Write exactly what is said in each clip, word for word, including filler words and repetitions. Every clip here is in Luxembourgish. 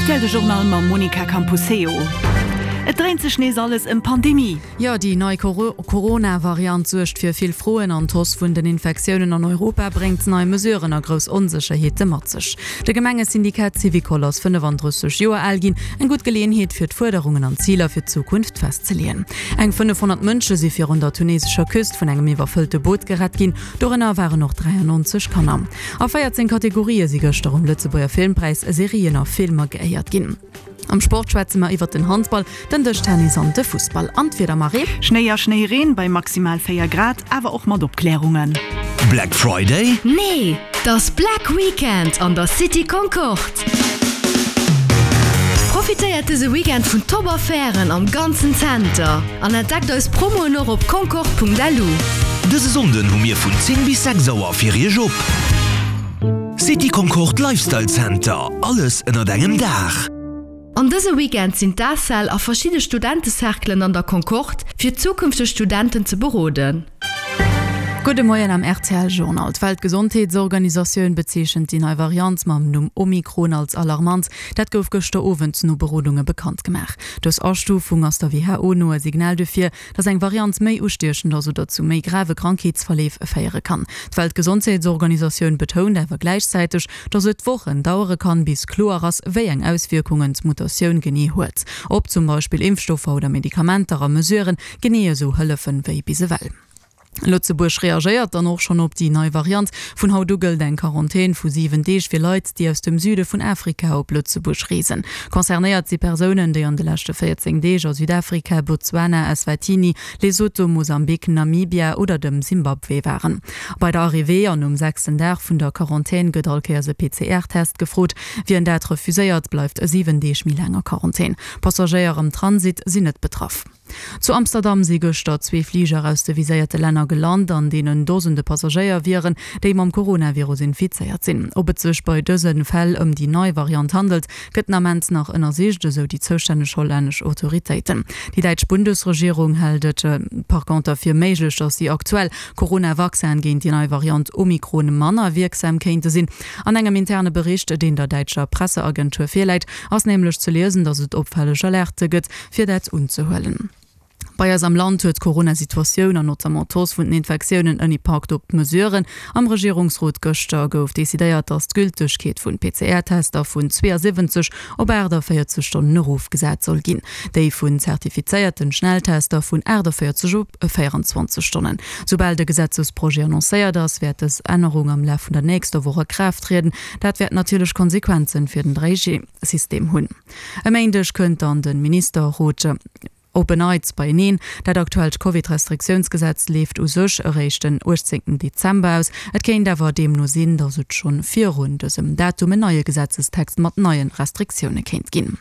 R T L de Journal mam Monica Camposeo. Et dréint sech nees alles ëm Pandemie. Jo, déi nei Corona-Variant suergt fir vill Froen an d'Hausse vun den Infektiounen an Europa bréngt nei Mesuren a grouss Onsécherheete mat sech. De Gemengesyndikat Syvicol ass fënnefandrësseg Joer al ginn, eng gutt Geleeënheet fir d'Fuerderungen an d'Ziler fir d'Zukunft festzeleeën. Eng fënnefhonnert Mënsche si virun der tunesescher Küst vun engem iwwerfëllte Boot gerett ginn, dorënner waren och dräiannonzeg Kanner. A véierzéng Kategorië si gëschter um Lëtzebuerger Filmpräis Serien a Filmer geéiert ginn. Am Sport schwätze mer iwwert den Handball, den Dëschtennis an de Fussball. An d'Wieder, Marie? Schnéi a Schnéireen bei maximal véier Grad, awer och mat Opklärungen. Black Friday? Nee, 't ass Black Weekend an der City Concorde! Profitéiert dëse Weekend vun Top Affären am ganzen Zenter an entdeckt eis Promoen och op concorde Punkt L U. Dëse Sonnden hu mir vun zéng bis sechs Auer fir Iech op. City Concorde Lifestyle Center, alles ënnert engem Daach. An dëse Weekend sinn d'ACEL a verschidde Studentecerclen an der Concorde fir zukünfteg Studenten ze beroden. Gudde Moien am R T L Journal. D'Weltgesondheetsorganisatioun bezeechent déi nei Variant mam Numm Omikron als alarmant. Dat gouf gëschter Owend no Berodunge bekannt gemaach. Dës Astufung ass der W H O no e Signal dofir, datt eng Variant méi ustiechend ass oder zu méi grave Krankheetsverleef féiere kann. D'Weltgesondheetsorganisatioun betount awer gläichzäiteg, datt et Wochen dauere kann, bis kloer ass, wéi eng Auswierkungen d'Mutatioun genee huet. Ob zum Beispill Impfstoffer oder Medikamenter a Mesuren genee esou hëllefen wéi bis ewell. Lëtzebuerg reagéiert dann och schonn op déi nei Variant. Vun haut u gëllt eng Quarantän vu siwen Deeg fir Leit, déi aus dem Süde vun Afrika op Lëtzebuerg reesen. Concernéiert si Persounen, déi an de leschte véierzéng Deeg a Südafrika, Botswana, Eswatini, Lesotho, Mosambik, Namibia oder dem Simbabwe waren. Bei der Arrivée an um sechsten Dag vun der Quarantän gëtt all Kéiers e P C R-Test gefrot. Wien dat refuséiert, bleift siwen Deeg méi laang a Quarantän. Passagéier am Transit sinn net betraff. Zu Amsterdam si gëschter zwee Fliger aus de viséierte Länner gelant, an deenen Dosende Passagéier wieren, déi mam Coronavirus infizéiert sinn. Ob et sech bei dëse Fäll ëm déi nei Variant handelt, gëtt den Ament nach ënnersicht, esou déi zoustänneg hollännesch Autoritéiten. Déi däitsch Bundesregierung hält et par conter fir méiglech, datt déi aktuell Corona-Vaccinen géint déi nei Variant Omikron manner wierksam kéinte sinn. An engem interne Bericht, deen der däitscher Presseagentur virläit, ass nämlech ze liesen, datt et opfälleg Alerte gëtt, fir dat unzehuelen. Bei eis am Land huet d'Corona-Situatioun an notamment d'Hausse vun den Infektiounen en Impakt op d'Mesuren. Am Regierungsrot gëschter gouf decidéiert, datt d'Gültegkeet vun P C R-Tester vun zweeësiwwenzeg op aachtavéierzeg Stonnen erofgesat soll ginn. Déi vun zertifizéierten Schnelltester vun aachtavéierzeg op véierenzwanzeg Stonnen. Soubal de Gesetzesprojet annoncéiert ass, wäert dës Ännerung am Laf vun der nächster Woch a Kraaft trieden. Dat wäert natierlech Konsequenzen fir den dräi G System hunn. E Méindeg kënnt dann de Ministerrot op en Neits beieneen. Dat aktuellt Covid-Restriktiounsgesetz leeft u sech eréischt den uechtzéngten Dezember aus. Et kéint awer deemno sinn, datt et schonn virun dësem Datum en neie Gesetzestext mat neie Restriktioune kéint ginn.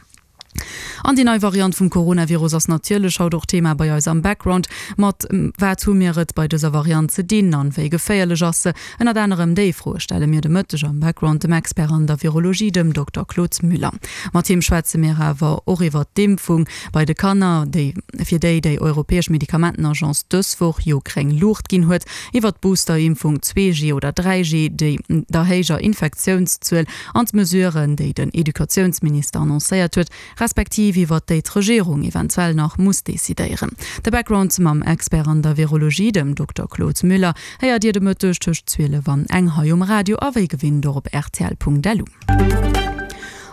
An déi nei Variant vum Coronavirus ass natierlech haut och Thema bei eis am Background. Mat wat hu mir et bei dëser Variant ze dinn an wéi geféierlech ass se? Ënnert anerem déi Froe stelle mir de Mëtteg am Background dem Expert an der Virologie, dem Dokter Claude Müller. Mat him schwätze mir awer och iwwer d'Impfung bei de Kanner, déi fir déi déi europäesch Medikamentenagence dës Woch jo gréng Luucht ginn huet, iwwer d'Boosterimpfung zwee G oder dräi G, déi der héijer Infektiounszuel an d'Mesuren, déi den Educatiounsminister annoncéiert huet, respektiv iwwer déi d'Regierung eventuell nach muss decidéieren. De Background mam Expert an der Virologie, dem Dokter Claude Müller, héiert Dir de Mëtteg tëscht zwielef an eng hei um Radio a wéi gewinnt och op R T L Punkt L U.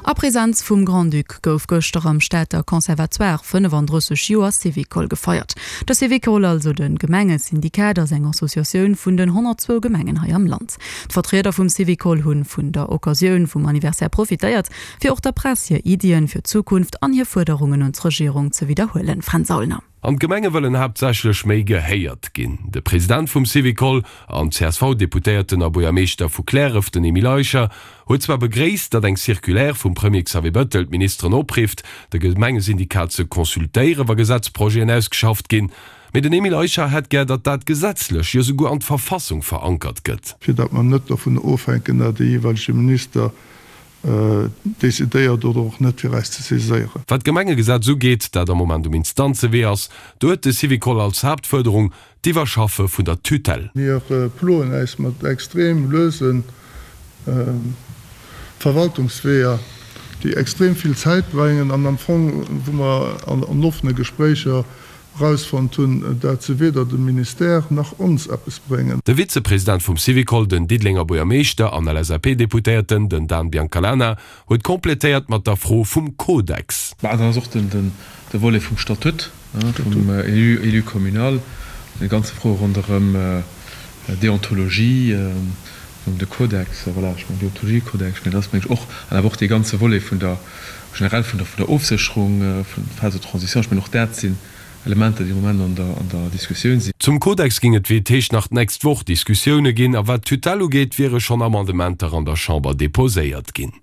A Presenz vum Grand-Duc gouf gëschter am Stater Conservatoire fënnefandrësseg Joer Syvicol gefeiert. De Syvicol, also de Gemengesyndikat, ass eng Associatioun vun den honnertzwou Gemengen hei am Land. D'Vertrieder vum Syvicol hunn vun der Occasioun vum Anniversaire profitéiert, fir och der Press hir Iddien fir d'Zukunft an hir Fuerderungen un d'Regierung ze widderhuelen. Fränz Aulner. An d'Gemenge wëllen haaptsächlech méi gehéiert ginn. De President vum Syvicol an C S V-Deputéierten a Buergermeeschter vu Kläref, den Emile Eicher, huet zwar begréisst, datt eng Circulaire vum Premier Xavier Bettel d'Ministeren oprifft, de Gemengesyndikat ze consultéieren, wa Gesetzprojeten ausgeschafft ginn. Mee den Emile Eicher hätt gär, datt dat gesetzlech, jo souguer an d'Verfassung verankert gëtt. Fir datt mer net dovun ofhänken, datt de jeeweilege Minister decidéiert oder och net fir eis ze saiséieren. Wat d'Gemengegesetz ugeet, dat am Moment um Instanzewee ass, do huet de Syvicol als Haaptfuerderung d'Iwwerschaffe vun der Tutelle. Mir ploen äis mat extrem luese Verwaltungsweeër, déi déi extrem vill Zäit brengen an am Fong, wou mer an offene Gespréicher erausfonnt hunn, dat se weder dem Ministère nach ons eppes bréngen. De Vizepresident vum Syvicol, den Diddelenger Buergermeeschter an L S A P-Deputéierten, den Dan Biancalana, huet kompletéiert mat der Fro vum Kodex. Bah, dann ass och den, den, de Volet vum Statut, vum Élu, élu communal, déi ganze Fro ronderëm Deontologie, de Kodex, voilà, ech mengen Deontologiekodex, ech mengen dat ass, mengen ech, och, an awer och dee ganze Volet vun der, generell vun der, vun der Ofsécherung, vun der Phase de transition, ech mengen och dat sinn Elementer, déi am Moment an der, an der Diskussioun sinn. Zum Kodex géing et, wéi et heescht, nach d'nächst Woch Diskussioune ginn, a wat d'Tutelle ugeet, wiere schonn Amendementer an der Chamber deposéiert ginn.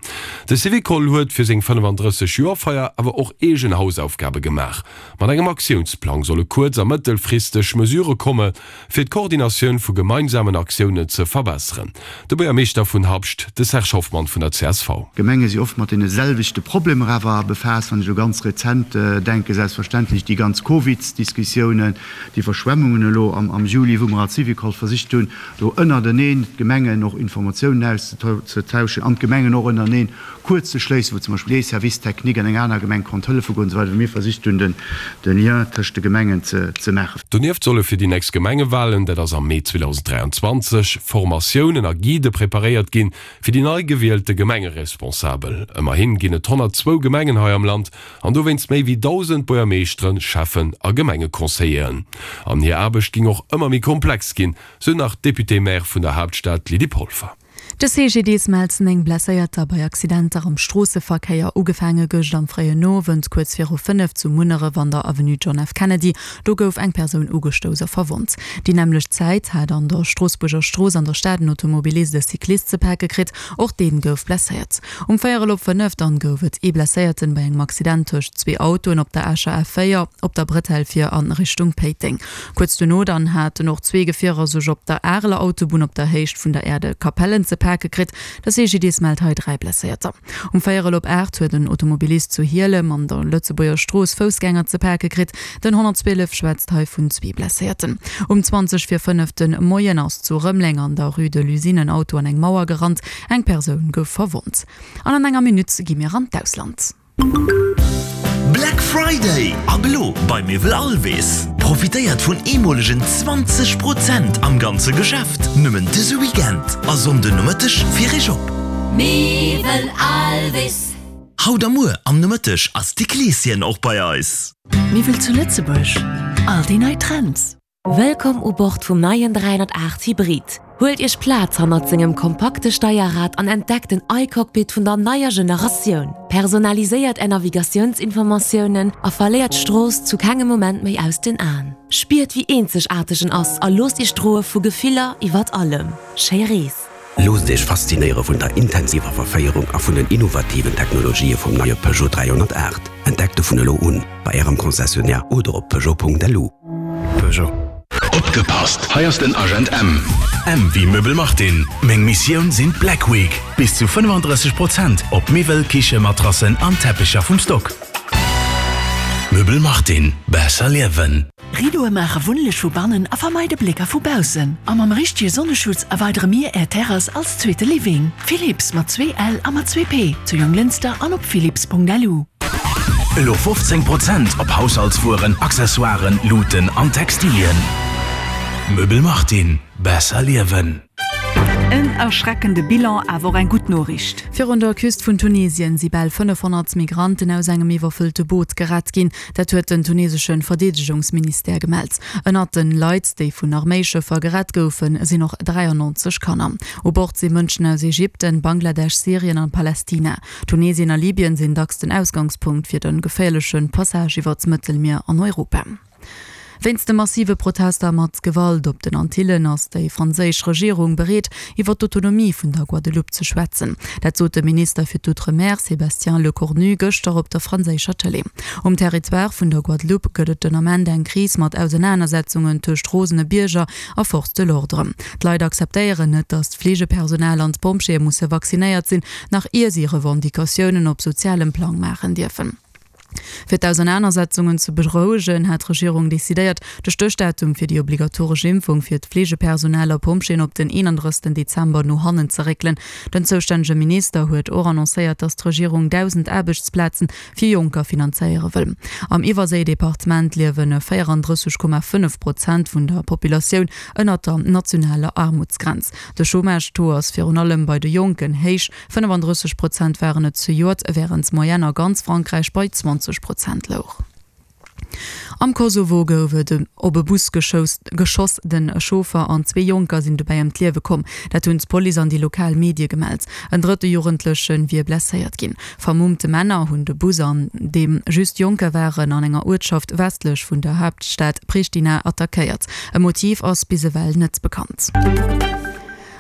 De Syvicol huet fir seng fënnefandrësseg Joer-Feier awer och eegen Hausaufgabe gemaach. Mat engem Aktiounsplang solle kuerz a mëttelfristeg Mesurë komme fir d'Koordinatioun vu gemeinsamen Aktiounen ze verbesseren. De Buergermeeschter vun Habscht, de Serge Hoffmann vun der C S V. D'Gemenge si oft mat deene selwechte Problemer awer befaasst. Wann ech elo ganz rezent denken, selbstverständlech déi ganz Covidsdiskussiounen, déi Iwwerschwemmungen elo am Juli, wou mer als Syvicol versicht hunn, do ënnerteneen d'Gemengen och Informatiounen auszetauschen an d'Gemengen och ënnereneen kuerz ze schléissen, wou zum Beispill ee Service technique an eng aner Gemeng konnt hëllefe goen an esou weider, wou mir versicht hunn, de Lien tëscht de Gemengen ze maachen. Donieft solle fir déi nächst Gemengewalen, dat ass am Mee zweedausend dräianzwanzeg, Formatiounen a Guidë preparéiert ginn, fir déi nei gewielte Gemengeresponsabel. Ëmmerhin ginn et honnertzwou Gemengen hei am Land an dowéinst méi wéi dausend Buergermeeschteren, Schäffen a Gemengeconseilleren. An hir Aarbecht géing och ëmmer méi komplex ginn, sou nach d'Député-maire vun der Haaptstad Lydie Polfer. De C G D S mellt néng Blesséierter bei Accidenter am Stroosseverkéier. Ugefaange gëscht am fréien Owend kuerz viru fënnef zu Munneref an der Avenue John F. Kennedy. Do gouf eng Persoun ugestouss a verwonnt. Déi nämmlecht Zäit hat an der Stroossbuerger Strooss an der Stad en Automobilist e Cyclist ze pake kritt, och dee gouf blesséiert. Um véierel op fënnef dann gouf et ee Blesséierten bei engem Accident tëscht zwee Autoen op der Escher A véier op der Bretelle fir a Richtung Péiteng. Kuerz duerno dann haten och zwee Gefierer sech op der Areler Autobunn op der Héicht vun der Aire de Capellen ze pake kritt. De C G D S mellt hei dräi Blesséierter. Um véierel op aacht huet en Automobilist zu Hielem an der Lëtzebuerger Strooss Foussgänger ze pake kritt. Den honnertzwielef schwätzt hei vun zwee Blesséierten. Um zwanzeg vir fënnef de Moien ass zu Rëmeleng an der Rue de l'Usine en Auto an eng Mauer gerannt. Eng Persoun gouf verwonnt. An an enger Minutt gi mir an d'Ausland. Black Friday ab elo bei Miwwel Alvis. Profitéiert vun eemolegen zwanzeg Prozent am ganze Geschäft. Nëmmen dëse Weekend a Sonnden Nomëtteg fir iech op. Miwwel Alvis. Haut a muer am Nomëtteg ass de Kleeschen och bei eis. Miwwel zu Lëtzebuerg. All déi nei Trends. Wëllkomm u Bord vum neien dräihonnertaacht Hybrid. Huelt iech Plaz hannert sengem kompakte Steierrad an entdeckt den iCockpit vun der neier Generatioun. Personaliséiert är Navigatiounsinformatiounen a verléiert d'Strooss zu kengem Moment méi aus den Aen. Spiert wéi eenzegaarteg en ass a loosst iech droe vu Gefiller iwwer allem. Schéi Rees. Loosst iech faszinéiere vun der intensiver Verféierung a vun den innovativen Technologië vum neie Peugeot dräihonnertaacht. Entdeckt e vun elo un bei ärem Concessionnaire oder op Peugeot Punkt L U. Peugeot. Opgepasst, hei ass den Agent M. M wéi Möbel Martin. Meng Missioun sinn d'Black Week. Bis zu fënnefandrësseg Prozent op Miwwel, Kiche, Matrassen an Teppicher vum Stock. Möbel Martin. Besser liewen. Rideaue maache wunnleg vu bannen a vermeide Blécker vu baussen. A mam richtege Sonneschutz erweidere mir är Terrass als zweete Living. Philips mat zwee L a mat zwee P zu Jonglënster an op philips Punkt L U. Elo fofzéng Prozent op Haushaltswueren, Accessoiren, Luuten an Textilien. Möbel Martin. Besser liewen. En erschreckende Bilan, awer och eng gutt Noriicht. Virun der Küst vun Tunesien si bal fënnefhonnert Migranten aus engem iwwerfëllte Boot gerett ginn. Dat huet den tunesesche Verdeedegungsministère gemellt. Ënnert den Leit, déi vun Arméischëffer gerett goufen, sinn och dräiannonzeg Kanner. U Bord si Mënschen aus Ägypten, Bangladesch, Syrien an Palästina. Tunesien a Libyen sinn dacks den Ausgangspunkt fir de geféierleche Passage iwwer d'Mëttelmier an Europa. Wéinst de massive Protester mat Gewalt op den Antillen ass déi franséisch Regierung bereet, iwwer d'Autonomie vun der Guadeloupe ze schwätzen. Dat sot de Minister fir d'Outre-mer Sébastien Lecornu gëschter op der franséischer Tëlee. Um Territoire vun der Guadeloupe gëtt et den Ament eng Kris mat Ausenanersetzungen tëscht rosene Bierger a Forces de l'ordre. D'Leit akzeptéieren net, datt d'Fleegepersonal an d'Pompjeeë musse vaccinéiert sinn, nach ier si Revendicatiounen op sozialem Plang maachen dierfen. Fir d'Ausernanersetzungen ze berouegen, hat d'Regierung decidéiert, de Stéchdatum fir déi obligatoresch Impfung fir d'Fleegepersonal a Pompjeeën op den eenandrëssigsten Dezember no hannen ze réckelen. Den zoustännege Minister huet och annoncéiert, datt d'Regierung dausend Aarbechtsplazen fir Jonker finanzéiere wëll. Am Iwwerséi-Departement liewe véierandrësseg Komma fënnef Prozent vun der Populatioun ënnert der nationaler Aarmutsgrenz. De Chômage-Taux ass virun allem bei de Jonken héich, fënnefandrësseg Prozent waren et zejoert, wärend d'Moyenne a ganz Frankräich bei zwanzeg Prozent louch. Am Kosovo gouf et op e Bus geschoss, den Chauffer an zwee Jonker sinn dobäi ëm d'Liewe komm. Dat hunn d'Police an déi lokal Medie gemellt. En drëtte Jugendleche wier blesséiert ginn. Vermummte Männer hunn de Bus, an deem just Jonker waren, an enger Uertschaft westlech vun der Haaptstad Pristina attackéiert. E Motiv ass bis ewell net bekannt.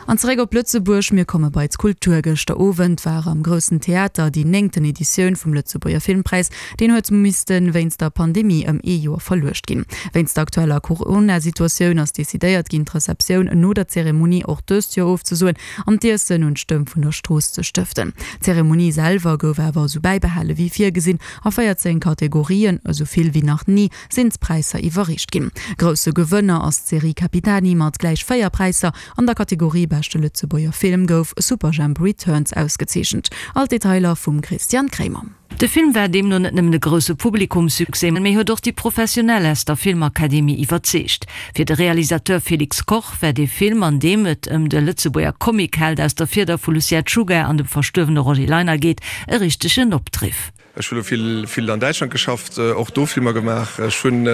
An zeréck op Lëtzebuerg, mir komme bei d'Kultur. Gëschter Owend war am Groussen Theater déi néngten Editioun vum Lëtzebuerger Filmpräis. Deen huet misste wéinst der Pandemie ëm ee Joer verluecht ginn. Wéinst der aktueller Corona-Situatioun ass decidéiert ginn, d'Receptioun no der Zeremonie och dëst Joer ofzesoen an d'Iessen un d'Stëmm vun der Strooss ze stëften. D'Zeremonie selwer gouf awer esou bäibehale wéi virgesinn. A véierzéng Kategorien, esou vill wéi nach ni, sinn d'Präisser iwwerreecht ginn. Grousse Gewënner ass d'Serie Capitani mat gläich véier Präisser. An der Kategorie Beschte Lëtzebuerger Film gouf Superjhemp Returns ausgezeechent. All d'Detailer vum Christian Kremer. De Film war deemno net nëmmen e grousse Publikumssuccès, mee huet och déi Professionell aus der Filmakademie iwwerzeegt. Fir de Realisateur Felix Koch war dee Film, an deem et ëm de Lëtzebuerger Comicheld aus der Fieder vu Lucien Czuga an dem verstuerwene Roger Leiner geet, e richtegen Opdriff. Ech hu lo vill, vill an Däitschland geschafft, och do Filmer gemaach. Ech hunn,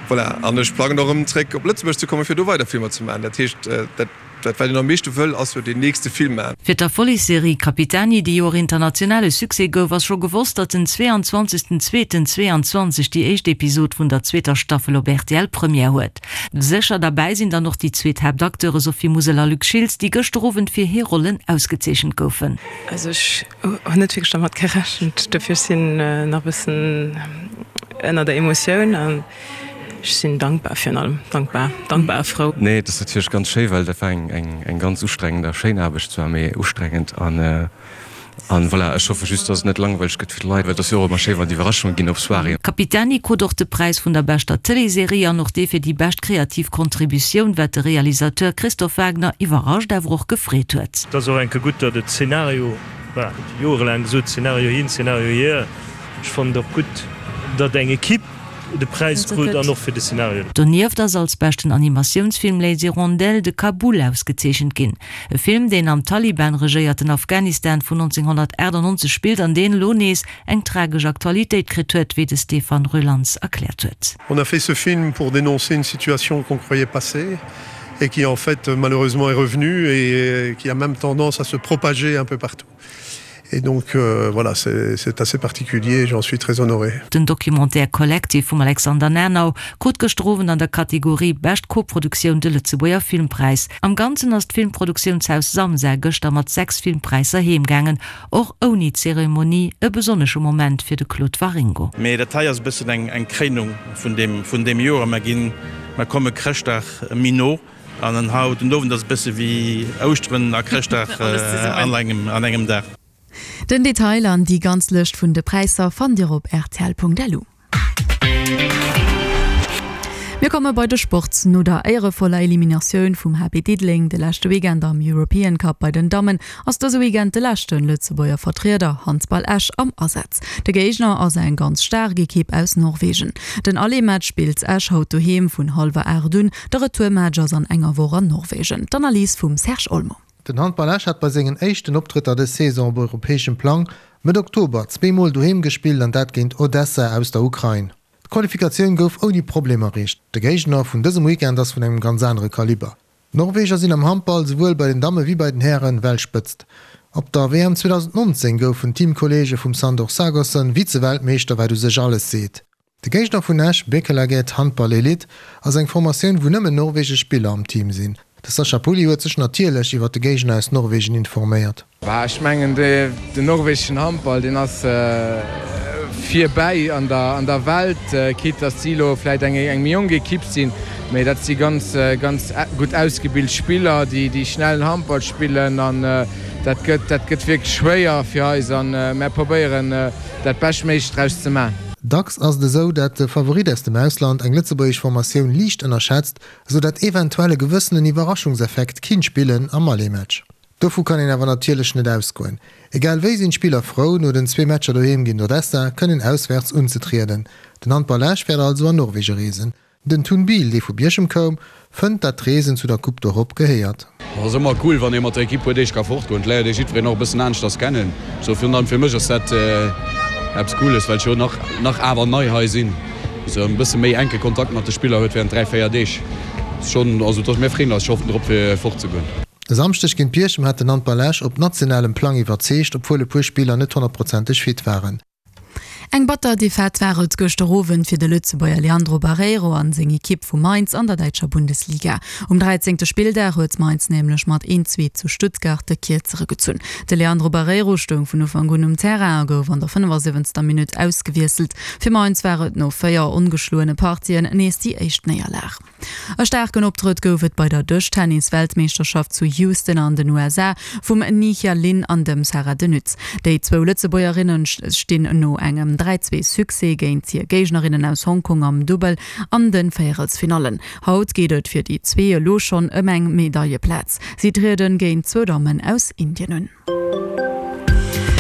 voilà, an ech plangen och erëm zréck op Lëtzebuerg ze kommen, fir do weider Filmer ze maachen. Dat heescht, dat, dat wat een am meeschte wëll, ass jo deen nächste Film maachen. Fir d'Erfollegsserie Capitani, déi jo och internationale Succès gouf, ass scho gewosst, datt den zweeanzwanzegsten zweeten zwéianzwanzeg déi éischt Episod vun der zweeter Staffel op rtl Première huet. Sécher derbäi sinn dann och déi zwee Haaptacteure Sophie Musel a Luc Schiltz, déi gëschter Owend fir hir Rollen ausgezeechent goufen. Also ech hunn net wierklech dermat gerechent, dofir ech sinn nach e bëssen ënner der Emotioun an ech sinn dankbar virun allem, dankbar, dankbar a frou. Nee, et ass natierlech ganz schéi, well dat war eng eng eng ganz ustrengend a schéin Aarbecht zwar, mee ustrengend an an voilà, ech hoffe just, dass et net langweileg gëtt fir d'Leit, well et ass jo och ëmmer schéi wann et Iwwerraschunge ginn op Soiréeën. Capitani krut och de Präis vun der beschter Tëleesserie an och dee fir déi bescht kreativ Contributioun, wat de Realisateur Christophe Wagner iwwerrascht awer och gefreet huet. Et ass och enke gutt, datt et Szenario, voilà, jorelaang gesot, Szenario hin, Szenario hier. Ech fannen et och gutt, datt eng Equipe de Präis krut an och fir de Szenario. Donieft ass als beschten Animatiounsfilm Les Hirondelles de Kaboul ausgezeechent ginn. E Film, deen am Taliban-regéierten Afghanistan vun nonzénghonnertaachtanonzeg spillt an deen elo nees eng tragesch Aktualitéit kritt huet, wéi de Stéphane Rulans erkläert huet. On a fait ce film pour dénoncer une situation qu'on croyait passée et qui en fait malheureusement est revenue et qui a même tendance à se propager un peu partout. Et donc voilà, c'est assez particulier et j'en suis très honoré. Den Documentaire Collective vum Alexander Nernau krut gëschter Owend an der Kategorie Bescht Koproduktioun de Lëtzebuerger Filmpräis. Am Ganzen ass d'Filmproduktiountshaus Samsa gëschter mat sechs Filmpräisser heem gaangen, och ouni Zeremonie, e besonnesche Moment fir de Claude Waringo. Mee dat hei ass e bëssen eng Kréinung vun deem Joer. Mer ginn, mer komme Chrëschtdag méi no. An en haut den Owend ass e bësse wéi Ouschteren a Chrëschtdag an engem Dag. Den Detail an déi ganz Lëscht vun de Präisser fannt Dir op rtl.lu. Mir komme bei de Sport. No der éierevoller Eliminatioun vum H B Diddeleng de leschte Weekend am European Cup bei den Dammen ass dëse Weekend de leschte Lëtzebuerger Vertrieder, Handball Esch, am Asaz. De Géigner ass eng ganz staark Ekipp aus Norwegen. Den Aller-Match spillt Esch haut doheem vun hallwer aacht un. De Retourmatch ass an enger Woch an Norwegen. D'Analys vum Serge Olmo. Den Handball Esch hat bei sengen éischten Optrëtter dës Saison op europäeschem Plang Mëtt Oktober zwee Mol doheem gespillt an dat géint Odessa aus der Ukrain. D'Qualifikatioun gouf ouni Problem erreecht. De Géigner vun dësem Weekend ass vun engem ganz anere Kaliber. D'Norweger sinn am Handball souwuel bei den Damme wéi bei den Hären Weltspëtzt. Op der W M zweedausendnonzéng goufen d'Teamkolleege vum Sandor Sagosen Vize-Weltmeeschter, wat u sech alles seet. De Géigner vun Esch, Bekkelaget Handball Elite, ass eng Formatioun wou nëmmen norwegesch Spiller am Team sinn. De Sascha Pulli huet sech natierlech iwwer de Géigner aus Norwegen informéiert. Bah, ech mengen den norwegeschen Handball deen ass virbäi an der an der Welt, quitte dass si elo vläit eng eng méi jonk Ekipp sinn, Mee dat si ganz, ganz gutt ausgebilt Spiller, déi, déi schnellen Handball spillen an dat gëtt, dat gëtt wierklech schwéier fir eis an mär probéieren dat Beschtméiglecht draus ze man. Dacks ass et esou, dat de Favorit aus dem Ausland eng lëtzebuergesch Formatioun liicht ënnerschätzt, esou dat eventuell e gewëssenen Iwwerraschungseffekt kinnt spillen am Aller-Match. Dovu kann een awer natierlech net ausgoen. Egal wéi sinn d'Spiller frou, no den zwee Matcher doheem géint Odessa kënnen auswärts unzetrieden. Den Handball Esch wäert also an Norwege reesen. Den Tun Biel, dee vu Bierchem koum, fënnt, dat d'Reesen zu der Coupe d'Europe gehéiert. Ass ëmmer cool, wann ee mat der Ekipp puer Deeg ka fortgoen. Et léiert ee jiddwereen och e bëssen aneschters kennen. Sou virun allem fir mech ass dat eppes Cooles, well ech jo nach nach awer nei hei sinn. Sou e bësse méi enke Kontakt mat de Spiller huet während dräi, véier Deeg. Ass schonn, also et ass, mir freeën eis scho drop fir fortzegoen. E Samschdeg géint Bierchem hat den Handball Esch op nationalem Plang iwwerzeegt, obwuel e puer Spiller net honnertprozenteg fit waren. Eng batter Defaite war et gëschter Owend fir de Lëtzebuerger Leandro Barreiro an seng Ekipp vu Mainz an der däitscher Bundesliga. Um dräizéngte Spilldag huet Mainz nämlech mat een, zwee zu Stuttgart de Kierzere gezunn. De Leandro Barreiro stoung vun Ufank un um Terrain a gouf an der fënnefasiwwenzter Minutt ausgewiesselt. Fir Mainz war et no véier ongeschloene Partien nees déi éischt Néierlag. E staarken Optrëtt gouf et bei der Dëschtennis-Weltmeeschterschaft zu Houston an den U S A vum Nihia Lin an dem Sarah De Nutte. Déi zwou Lëtzebuergerinne stinn no engem dräi zwee Succès géint hir Géignerinnen aus Hongkong am Dubbel an de Véierelsfinallen. Haut geet et fir déi zwee elo schonn ëm eng Medailleplaz. Si trieden géint zwou Dammen aus Indien un.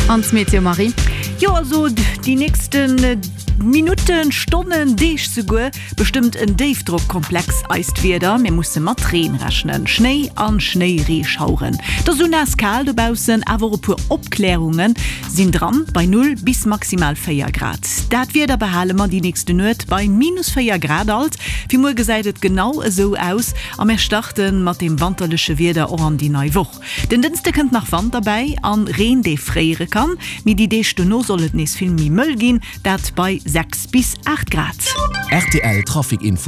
An d'Meteo, Marie? Jo, also déi nächste Minutten, Stonnen, Deeg souguer bestëmmt en Déifdrockkomplex eist Wieder. Mir musse mat Reen rechnen, Schnéi an Schnéireeschaueren. Et ass esou naass kal dobaussen, awer och e puer Opklärunge sinn dran, bei null bis maximal véier Grad. Dat Wieder behale mer déi nächste Nuet bei minus véier Grad alt. Fir muer gesäit et genau esou aus a mir starte mat deem wanterleche Wieder och an déi nei Woch. Den Dënschde kënnt nach Wand derbäi an Reen, dee fréiere kann, mee déi Deeg dono soll et nees vill méi mëll ginn, dat bei sechs bis aacht Grad. Rtl Trafic Info.